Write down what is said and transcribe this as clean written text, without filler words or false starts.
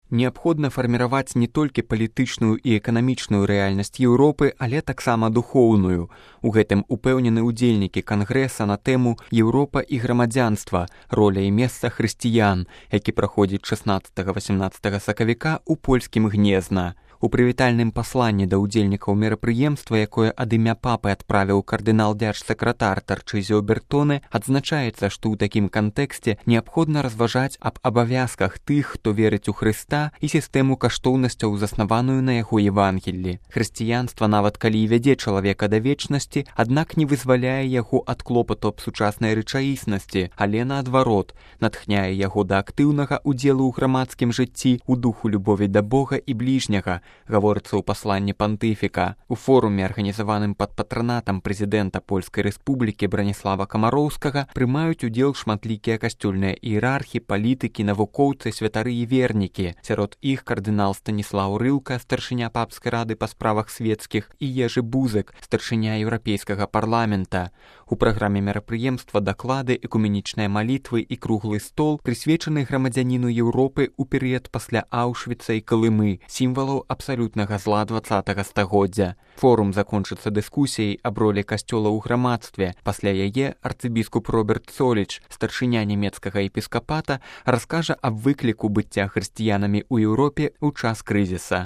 Неабходна фарміраваць не толькі палітычную і эканамічную рэальнасць Еўропы, але таксама духоўную. У гэтым упэўнены ўдзельнікі кангрэса на тэму «Еўропа і грамадзянства. Роля і месца хрысціян», які праходзіць 16-18 сакавіка ў польскім Гнезна. У прывітальным пасланні да ўдзельнікаў мерапрыемства, якое ад імя папы адправіў кардынал-дзярж-сакратар Тарчызіо Бертоне, адзначаецца, што ў такім кантэксце неабходна разважаць аб абавязках тых, хто верыць у Хрыста і сістэму каштоўнасцяў, заснаваную на яго Евангеллі. Хрысціянства, нават калі і вядзе чалавека да вечнасці, аднак не вызваляе яго ад клопату аб сучаснай рэчаіснасці, але наадварот, натхняе яго да актыўнага ўдзелу ў грамадскім жыцці, у духу любові да Бога і бліжняга, гаворыцца ў пасланні пантыфіка. У форуме, арганізаваным пад патранатам прэзідэнта Польскай Рэспублікі Браніслава Камароўскага, прымаюць удзел шматлікія касцёльныя іерархі, палітыкі, навукоўцы, святары і вернікі. Сярод іх кардынал Станіслаў Рылка, старшыня папскай рады па справах свецкіх, і Ежы Бузык, старшыня еўрапейскага парламента. У праграме мерапрыемства даклады, экуменічныя малітвы і круглы стол, прысвечаны грамадзяніну Еўропы ў перыяд пасля Аўшвіца і Калымы, сімвалаў абсалютнага зла 20-го стагоддзя. Форум закончыцца дыскусіяй аб ролі касцёла ў грамадстве. Пасля яе арцыбіскуп Роберт Соліч, старшыня нямецкага епіскапата, раскажа аб выкліку быцця хрысціянамі ў Еўропе ў час крызіса.